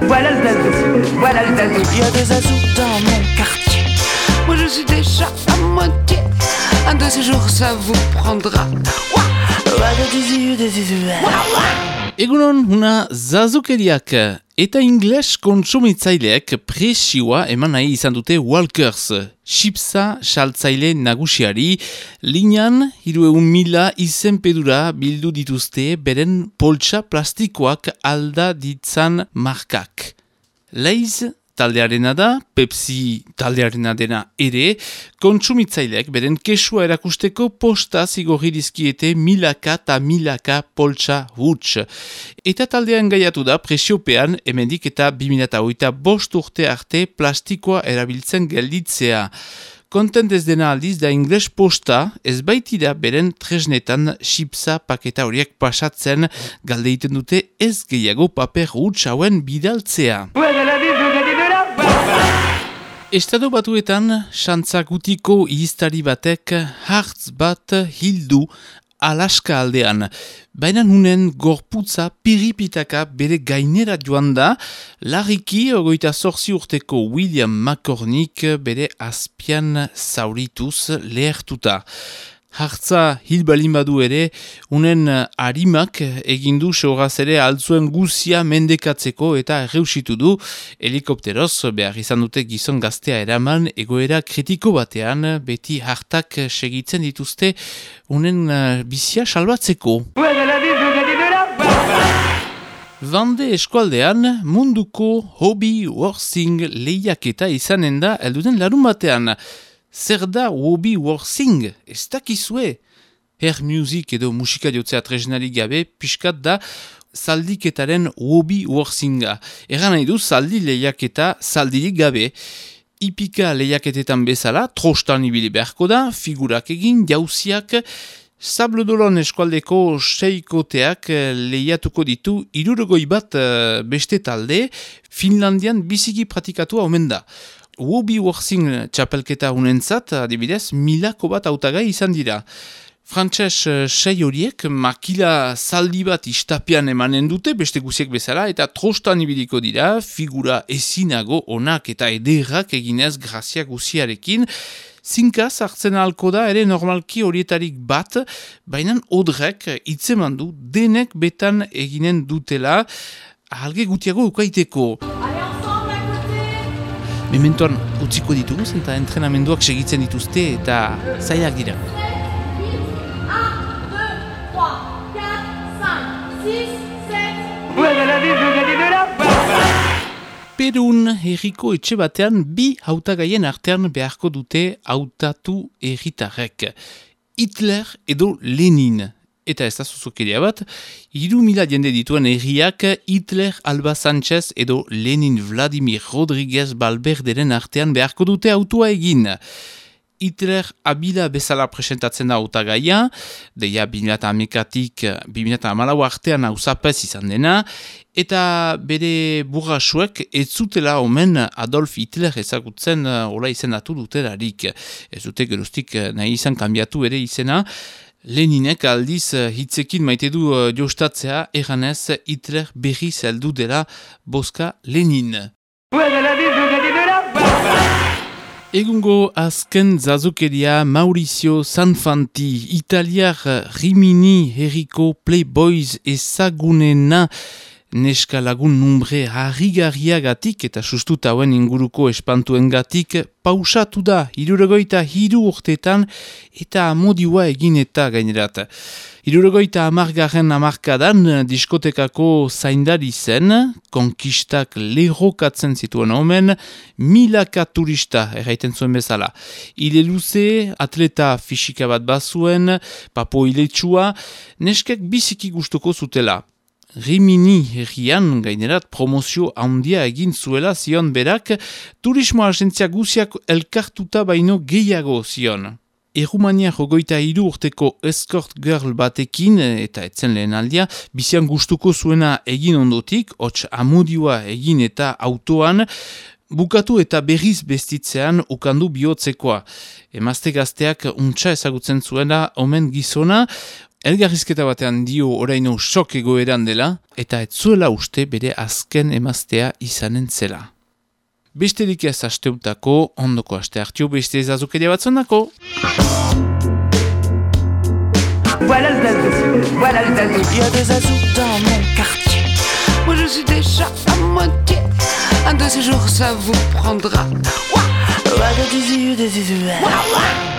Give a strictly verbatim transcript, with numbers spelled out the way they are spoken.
Voilà le zazou, voilà le zazou. Il y a des zazous dans mon quartier. Moi je suis déjà à moitié. Un de ces jours ça vous prendra. Egunon, una zazukeriak eta ingles kontsumitzaileek presioa eman nahi izan dute Walkers, chipsa saltzaile nagusiari, linean hiruehun mila izenpedura bildu dituzte beren poltsa plastikoak alda ditzan markak. Lay's taldearena da, Pepsi taldearena dena ere, kontsumitzaileek beren kesua erakusteko posta zigorri dizkiete milaka eta milaka poltsa huts. Eta taldean gaiatu da presiopean hemendik eta bi mila hogeita bost urte arte plastikoa erabiltzen gelditzea. Kontent ez dena aldiz da ingles posta ez baitira beren tresnetan chipsa paketa horiek pasatzen galdeiten dute ez gehiago paper huts hauen bidaltzea. Estado batuetan, xantzakutiko ihiztari batek hartz bat hildu Alaska aldean. Baina nunen gorputza piripitaka bere gainera joan da, larriki ogoita zorzi urteko William McCormick bere azpian zaurituz lehertuta. Hartza hil balin badu ere, unen harimak egindu seuraz ere altzuen guzia mendekatzeko eta erreusitu du, helikopteroz behar izan dute gizon gaztea eraman egoera kritiko batean, beti hartak segitzen dituzte unen uh, bizia salbatzeko. Vande eskualdean munduko hobby horsing lehiaketa izanen da elduden larun batean. Zer da hobby horsing? Ez dakizue? Hair music edo musika jotzea tresnarik gabe, pixkat da zaldiketaren hobby horsinga. Egan nahi du zaldi lehiaketa zaldirik gabe. Ipika lehiaketetan bezala, trostan ibili beharko da, figurak egin, jauziak, Sablodolon eskualdeko seikoteak lehiatuko ditu hirurogoi bat beste talde, Finlandian biziki pratikatu omen da. Hobby horsing txapelketa unentzat, adibidez, milako bat hautagai izan dira. Frantses sei horiek makila zaldi bat istapian emanen dute, beste guziek bezala, eta trostan ibiliko dira, figura ezinago onak eta ederrak eginez grazia guziarekin. Zinkaz hartzen ahalko da ere normalki horietarik bat, baina odrek hitzeman du denek betan eginen dutela, ahalge gutiago ukaiteko. Mementoan utziko ditugu eta entrenamenduak segitzen dituzte eta zailak dira. Perun herriko etxe batean bi hautagaien artean beharko dute hautatu herritarrek. Hitler edo Lenin. Eta ez da zuzukeria bat, hiru mila jende dituen herriak Hitler Alba Sanchez edo Lenin Vladimir Rodriguez Balberderen artean beharko dute autua egin. Hitler abila bezala presentatzen da hautagaia, deia bi mila hamekatik bi mila hamalau artean hauzapez izan dena, eta bere burrasuek ez zutela omen Adolf Hitler ezagutzen hola izendatu dutelarik. Ez dute geroztik nahi izan kanbiatu ere izena, Leninek aldiz hitzekin maite du jostatzea eganez Hitler berriz heldu dela boska Lenin. Egungo azken zazukeria Maurizio Sanfanti, italiar Rimini herriko Playboys ezagunena neska lagun numbre harrigarriagatik eta sustuta hauen inguruko espantuengatik pausatu da hirurogeita hiru urtetan eta amodioa egin eta gainerat. Hirurogeita hamargarren hamarkadan diskotekako zaindari zen, konkistak lerrokatzen zituen omen, milaka turista erraiten zuen bezala. Ile luze, atleta fisika bat bazuen, papo iletsua, neskek biziki gustuko zutela. Rimini herrian gainerat promozio handia egin zuela zion berak, turismo agentzia guziak elkartuta baino gehiago zion. Errumania jogoita hiru urteko escort girl batekin, eta etzen lehen aldia, bizian gustuko zuena egin ondotik, hots amodioa egin eta autoan, bukatu eta berriz bestitzean ukandu bihotzekoa. Emazte gazteak untsa ezagutzen zuena omen gizona, Elgarrizketa batean dio oraino sok egoeran dela, eta ez zuela uste bere azken emaztea izanen zela. Besterik ez asteutako, ondoko aste hartio beste ezazukeria batzonako. Voilà le zazou, voilà le zazou. Il y a des zazous dans mon quartier. Moi je suis déjà à moitié. Un de ces jours ça vous prendra. Ouah, ouah, des yeux, des yeux. Ouah, ouah.